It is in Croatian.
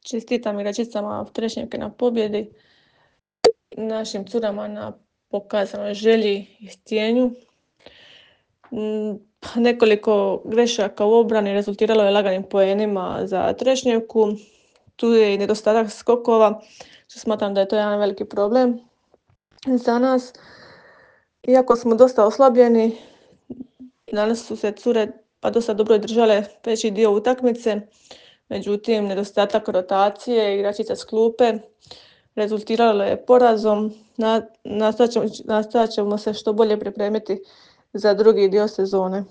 Čestitam igračicama Trešnjevke na pobjedi, našim curama na pokazanoj želji i htjenju. Nekoliko grešaka u obrani rezultiralo je laganim poenima za Trešnjevku. Tu je i nedostatak skokova, što smatram da je to jedan veliki problem za nas. Iako smo dosta oslabljeni, danas su se cure pa dosta dobro držale veći dio utakmice. Međutim, nedostatak rotacije igračica s klupe rezultiralo je porazom. Nastojat ćemo se što bolje pripremiti za drugi dio sezone.